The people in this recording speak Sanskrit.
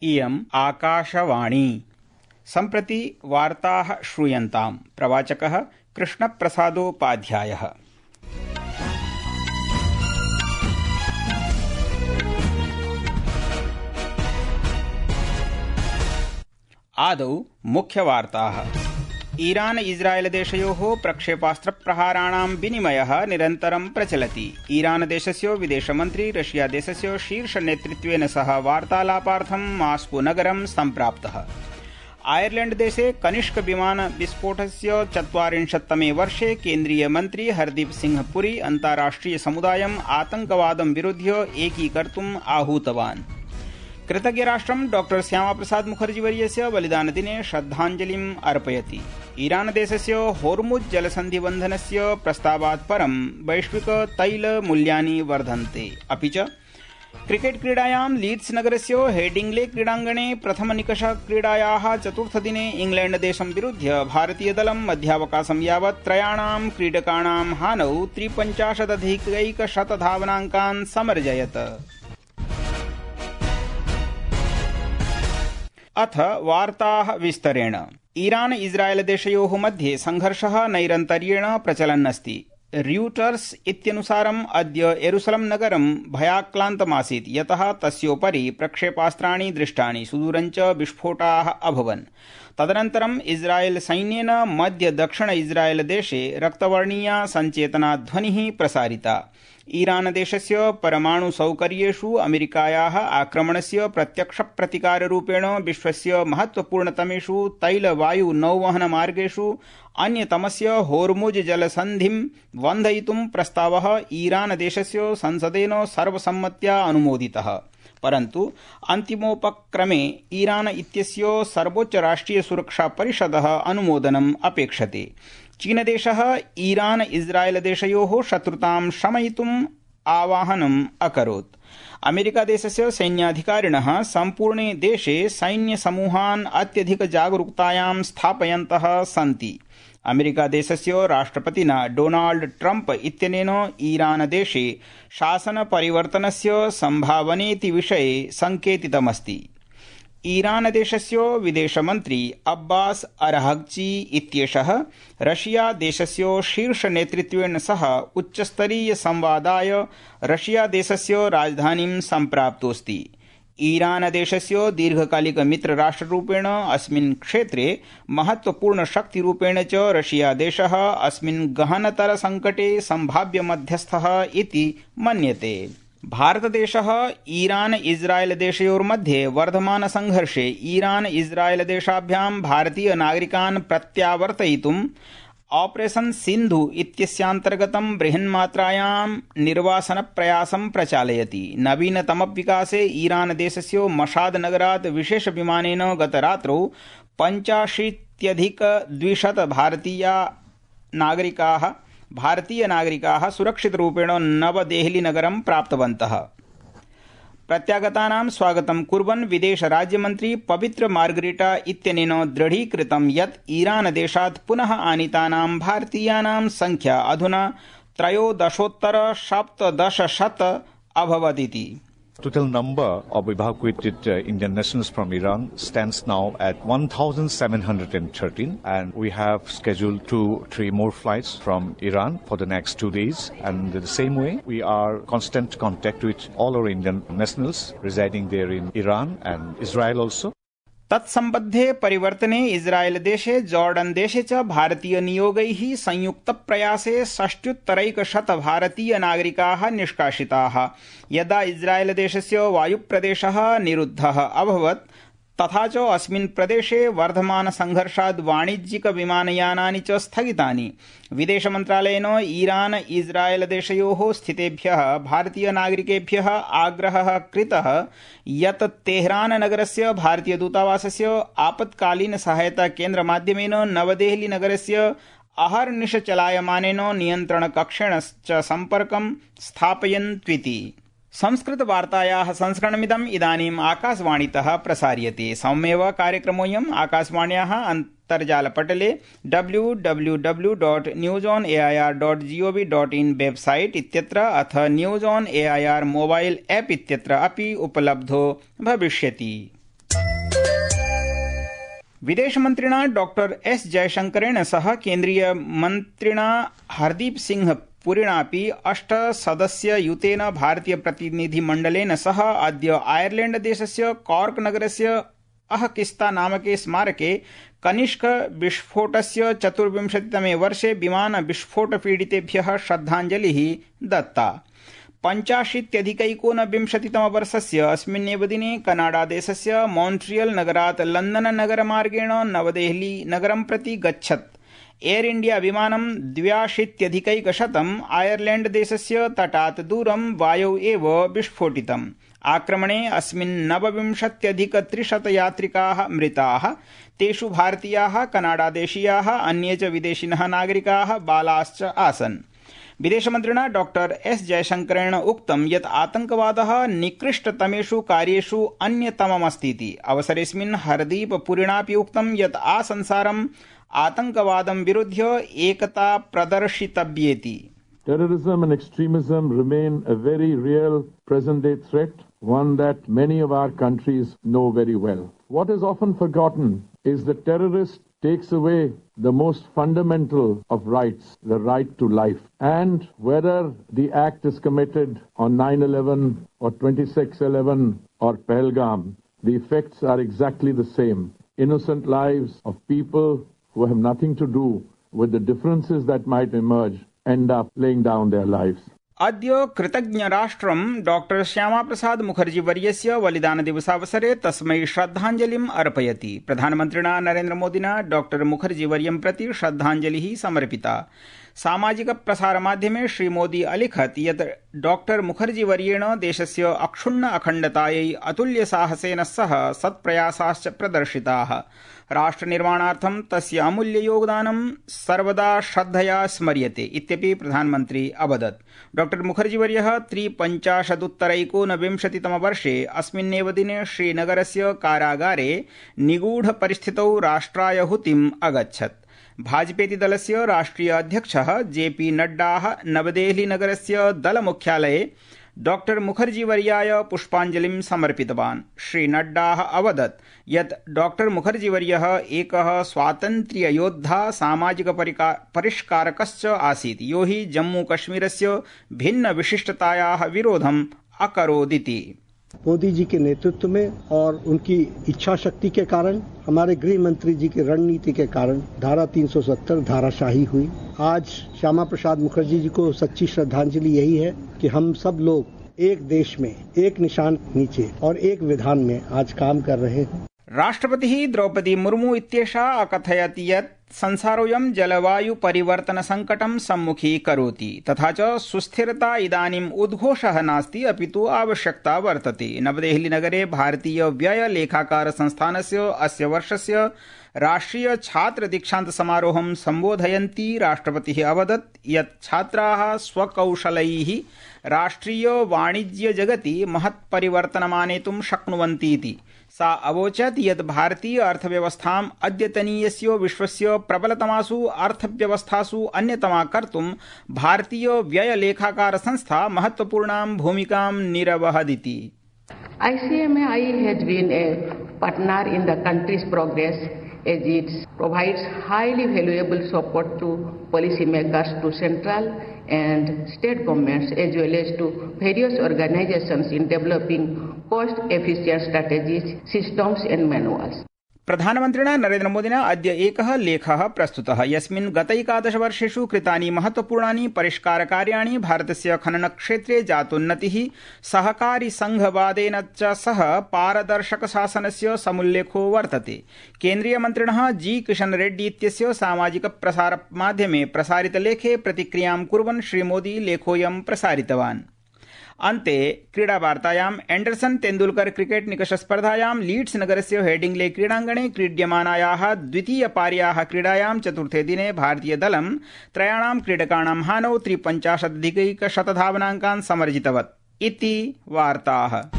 इयम् आकाशवाणी। सम्प्रति वार्ताः श्रूयन्ताम्। प्रवाचकः कृष्णप्रसादोपाध्यायः। आदौ मुख्यवार्ताः। ईरान इस्राएल देशयोः प्रक्षेपास्त्रप्रहाराणां विनिमयः निरन्तरं प्रचलति। ईरान देशस्य विदेशमन्त्री रशिया देशस्य शीर्षनेतृत्वेन सह वार्तालापार्थं मास्को नगरं सम्प्राप्तः। आयरलैंड देशे कनिष्क विमान विस्फोटस्य 40तमे वर्षे केन्द्रीय मन्त्री हरदीप सिंह पुरी अन्ताराष्ट्रिय समुदायम् आतंकवादं विरुध्य एकीकर्तुम् आहूतवान्। कृतज्ञराष्ट्रं डॉ श्यामाप्रसाद मुखर्जीवर्यस्य बलिदानदिने श्रद्धाञ्जलिम् अर्पयति। ईरान देशस्य होर्मुज जलसन्धिबन्धनस्य प्रस्तावात् परं वैश्विक तैलमूल्यानि वर्धन्ते। अपि च क्रिकेट क्रीडायां लीड्स नगरस्य हेडिंग्ले क्रीडाङ्गणे प्रथमनिकष क्रीडायाः चतुर्थदिने इंग्लैंड देशं विरुध्य भारतीयदलं मध्यावकाशं यावत् त्रयाणां क्रीडकाणां हानौ 53 धावनाङ्कान् समर्जयत्। अथ वार्ताः विस्तरेण। ईरान इस्राएल देशयोः मध्ये संघर्षः नैरन्तर्येण प्रचलन्नस्ति। र्यूटर्स इत्यनुसारम् अद्य येरुसलम नगरं भयाक्रान्तमासीत्, यतः तस्योपरि प्रक्षेपास्त्राणि दृष्टानि, सुदूरञ्च विस्फोटाः अभवन्। तदनन्तरम् इस्राएल सैन्येन मध्य दक्षिण इस्राएल देशे रक्तवर्णीया सञ्चेतनाध्वनिः प्रसारिता। ईरान देशस्य परमाणु सौकर्येषु अमेरिकायाः आक्रमणस्य प्रत्यक्ष प्रतिकाररूपेण विश्वस्य महत्वपूर्णतमेषु तैलवायु नौवहनमार्गेषु अन्यतमस्य होर्मुज जलसन्धिं बन्धयितुं प्रस्तावः ईरान देशस्य संसदेन सर्वसम्मत्या अनुमोदितः। परन्तु अन्तिमोपक्रमे ईरान इत्यस्य सर्वोच्च राष्ट्रिय सुरक्षा परिषदः अनुमोदनम् अपेक्षते। चीनदेशः ईरान इस्राएल देशयोः शत्रुतां शमयितुम् आवाहनम् अकरोत्। अमेरिकादेशस्य सैन्याधिकारिणः सम्पूर्णे देशे सैन्यसमूहान् अत्यधिकजागरूकतायां स्थापयन्तः सन्ति। अमेरिकादेशस्य राष्ट्रपतिना डोनाल्ड ट्रम्प इत्यनेन ईरान देशे शासनपरिवर्तनस्य सम्भावनेति विषये सङ्केतितमस्ति। ईरान देशस्य विदेशमन्त्री अब्बास अरहग्ची इत्येषः रशिया देशस्य शीर्षनेतृत्वेन सह उच्चस्तरीय संवादाय रशिया देशस्य राजधानीं सम्प्राप्तोऽस्ति। ईरान देशस्य दीर्घकालिक मित्रराष्ट्ररूपेण अस्मिन् क्षेत्रे महत्वपूर्णशक्तिरूपेण च रशिया देशः अस्मिन् गहनतर संकटे सम्भाव्य मध्यस्थः इति मन्यते। भारतदेशः ईरान इस्राएल देशयोर्मध्ये वर्धमान संघर्षे ईरान इस्राएल देशाभ्यां भारतीय नागरिकान् प्रत्यावर्तयितुम् ऑपरेशन सिन्धु इत्यस्यान्तर्गतं बृहन्मात्रायां निर्वासनप्रयासं प्रचालयति। नवीनतमविकासे ईरान देशस्य मशाद नगरात् विशेषविमानेन गतरात्रौ 85,200 भारतीय नागरिकाः सुरक्षितरूपेण नवदेहली नगरं प्राप्तवन्तः। प्रत्यागतानां स्वागतं कुर्वन् विदेश राज्यमन्त्री पवित्र मार्गरीटा इत्यनेन दृढीकृतं यत् ईरान देशात् पुनः आनीतानां भारतीयानां संख्या अधुना 13,1700 अभवदिति। Total number of evacuated Indian nationals from Iran stands now at 1,713, and we have scheduled 2-3 more flights from Iran for the next 2 days. And in the same way, we are in constant contact with all our Indian nationals residing there in Iran and Israel also. तत्सम्बद्धे परिवर्तने इस्राएल देशे जॉर्डन देशे च भारतीय नियोगैः संयुक्त प्रयासे 60,100 भारतीय नागरिकाः निष्कासिताः। यदा इस्राएल देशस्य वायुप्रदेशः निरुद्धः अभवत्, तथा च अस्मिन् प्रदेशे वर्धमान संघर्षात् वाणिज्यिक विमानयानानि च स्थगितानि। विदेशमन्त्रालयेन ईरान इस्राएल देशयोः स्थितेभ्यः भारतीय नागरिकेभ्यः आग्रहः कृतः यत् तेहरान नगरस्य भारतीय दूतावासस्य आपत्कालीन सहायता केन्द्रमाध्यमेन नवदेहली नगरस्य अहर्निश चलायमानेन नियन्त्रणकक्षेण च सम्पर्कं स्थापयन्त्विति। संस्कृतवार्तायाः संस्करणमिदम् इदानीम् आकाशवाणीतः प्रसार्यते। सौम्येव कार्यक्रमोऽयम् आकाशवाण्याः अन्तर्जालपटले www.newsonair.gov.in वेबसाइट इत्यत्र अथ news on AIR mobile app इत्यत्र अपि उपलब्धो भविष्यति। विदेशमन्त्रिणा डॉक्टर एस जयशंकरेण सह केन्द्रीय मन्त्रिणा हरदीप सिंह पुरिणापि 8 सदस्ययुतेन भारतीय प्रतिनिधिमण्डलेन सह अद्य आयरलैण्ड देशस्य कॉर्क नगरस्य अहकिस्ता नामके स्मारके कनिष्क विस्फोटस्य 24तमे वर्षे विमान विस्फोट पीडितेभ्यः श्रद्धाञ्जलिः दत्ता। 85+1विंशतितमवर्षस्य अस्मिन्नेव दिने कनाडादेशस्य मॉन्ट्रियल नगरात् लंदन नगरमार्गेण नवदेहली नगरं प्रति गच्छत् एयर इंडिया विमानं 82+100 आयरलैण्ड देशस्य तटात् दूरं वायौ एव विस्फोटितम्। आक्रमणे अस्मिन् 29+300 यात्रिकाः मृताः, तेषु भारतीयाः, कनाडादेशीयाः, अन्ये च विदेशिनः नागरिकाः, बालाश्च आसन्। विदेशमन्त्रिणा डॉक्टर एस जयशंकरेण उक्तं यत् आतंकवादः निकृष्टतमेषु कार्येषु अन्यतममस्तीति। अवसरेऽस्मिन् हरदीप पुरिणापि उक्तं यत् आसंसारम् आतंकवादं विरुध्य एकता प्रदर्शितव्येति। Terrorism and extremism remain a very real present-day threat, one that many of our countries know very well. What is often forgotten is the terrorist takes away the most fundamental of rights, the right to life. And whether the act is committed on 9/11 or 26/11 or Pahalgam, the effects are exactly the same. Innocent lives of people who have nothing to do with the differences that might emerge end up laying down their lives. अद्य कृतज्ञराष्ट्रं डॉक्टर श्यामाप्रसाद मुखर्जी वर्यस्य बलिदानदिवसावसरे तस्मै श्रद्धाञ्जलिम् अर्पयति। प्रधानमन्त्रिणा नरेन्द्रमोदिना डॉक्टर मुखर्जी वर्यं प्रति श्रद्धाञ्जलिः समर्पिता। सामाजिक प्रसारमाध्यमे श्रीमोदी अलिखत् यत् डॉक्टर मुखर्जी वर्येण देशस्य अक्षुण्ण अखण्डतायै अतुल्यसाहसेन सह सत्प्रयासाश्च प्रदर्शिताः। राष्ट्रनिर्माणार्थं तस्य अमूल्य योगदानं सर्वदा श्रद्धया स्मर्यते इत्यपि प्रधानमन्त्री अवदत्। डॉक्टर मुखर्जीवर्यः 53+1विंशतितमवर्षे अस्मिन्नेव दिने श्रीनगरस्य कारागारे निगूढपरिस्थितौ राष्ट्रायहुतिम् अगच्छत्। भाजपेति दलस्य राष्ट्रिय अध्यक्षः जेपी नड्डाः नवदेहली नगरस्य दलमुख्यालये डॉक्टर मुखर्जीवर्याय पुष्पाञ्जलिं समर्पितवान्। श्री नड्डाः अवदत् यत् डॉक्टर मुखर्जीवर्यः एकः स्वातन्त्र्ययोद्धा सामाजिक परिष्कारकश्च आसीत्, यो हि जम्मूकश्मीरस्य भिन्न विशिष्टतायाः विरोधम् अकरोदिति। मोदी जी के नेतृत्व में और उनकी इच्छा शक्ति के कारण, हमारे गृह मंत्री जी की रणनीति के कारण धारा 370 धाराशाही हुई। आज श्यामा प्रसाद मुखर्जी जी को सच्ची श्रद्धांजलि यही है कि हम सब लोग एक देश में, एक निशान नीचे और एक विधान में आज काम कर रहे हैं। राष्ट्रपतिः द्रौपदी मुर्मू इत्येषा अकथयत् यत् संसारोऽयं जलवायु परिवर्तन संकटं सम्मुखीकरोति, तथा च सुस्थिरता इदानीम् उद्घोषः नास्ति अपितु आवश्यकता वर्तते। नवदेहली नगरे भारतीय व्यय लेखाकार संस्थानस्य अस्य वर्षस्य राष्ट्रिय छात्र दीक्षांत समारोहं सम्बोधयन्ती राष्ट्रपतिः अवदत् यत् छात्राः स्वकौशलैः राष्ट्रिय वाणिज्य जगति महत् परिवर्तनमानेतुं शक्नुवन्ति इति। सा अवोचत् यत् भारतीय अर्थव्यवस्थाम् अद्यतनीयस्य विश्वस्य प्रबलतमासु अर्थव्यवस्थासु अन्यतमा कर्तुं भारतीय व्यय लेखाकार संस्था महत्वपूर्णां भूमिकां निर्वहदिति। ICMI has been a partner in the country's progress as it provides highly valuable support to policymakers, to central and state governments, as well as to various organizations in developing cost-efficient strategies, systems and manuals. प्रधानमन्त्रिणा नरेन्द्रमोदिना अद्य एकः लेखः प्रस्तुतः, यस्मिन् गतैकादश वर्षेषु कृतानि महत्वपूर्णानि परिष्कारकार्याणि, भारतस्य खननक्षेत्रे जातोन्नतिः, सहकारी संघवादेन च सह पारदर्शक शासनस्य समुल्लेखो वर्तते। केन्द्रीयमन्त्रिणः जी किशन रेड्डी इत्यस्य सामाजिक प्रसारमाध्यमे प्रसारितलेखे प्रतिक्रियां कुर्वन् श्रीमोदी लेखोऽयं प्रसारितवान्। अन्ते क्रीडावार्तायाम् एण्डरसन तेन्दुलकर क्रिकेट निकष स्पर्धायां लीड्स नगरस्य हेडिंग्ले क्रीडाङ्गणे क्रीड्यमानायाः द्वितीयपार्याः क्रीडायां चतुर्थे दिने भारतीयदलं त्रयाणां क्रीडकाणां हानौ 53+100 धावनाङ्कान् समर्जितवत् इति वार्ताः।